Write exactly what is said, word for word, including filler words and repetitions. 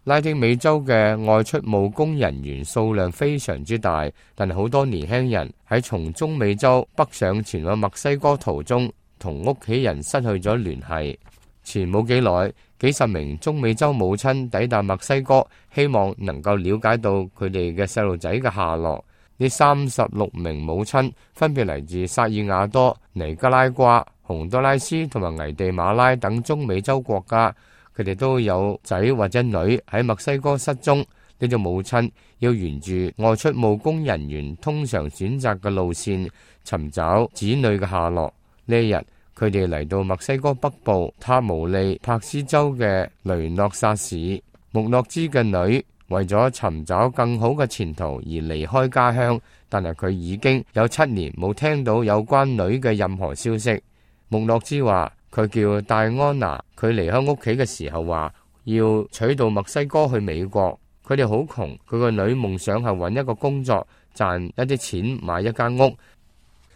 拉丁美洲嘅外出務工人員數量非常之大，但係好多年輕人喺從中美洲北上前往墨西哥途中，同屋企人失去咗聯繫。前冇幾耐，幾十名中美洲母親抵達墨西哥，希望能夠了解到佢哋嘅細路仔嘅下落。呢三十六名母親分別嚟自薩爾瓦多、尼加拉瓜、洪都拉斯同埋危地馬拉等中美洲國家。佢哋都有仔或者女喺墨西哥失蹤，呢種母親要沿住外出務工人員通常選擇嘅路線尋找子女嘅下落。呢一日，佢哋嚟到墨西哥北部塔毛利帕斯州嘅雷諾薩市。穆諾茲嘅女為咗尋找更好嘅前途而離開家鄉，但係佢已經有七年冇聽到有關女嘅任何消息。穆諾茲話，佢叫戴安娜，佢離開屋企嘅時候話要娶到墨西哥去美國。佢哋好窮，佢個女夢想係揾一個工作賺一啲錢買一間屋，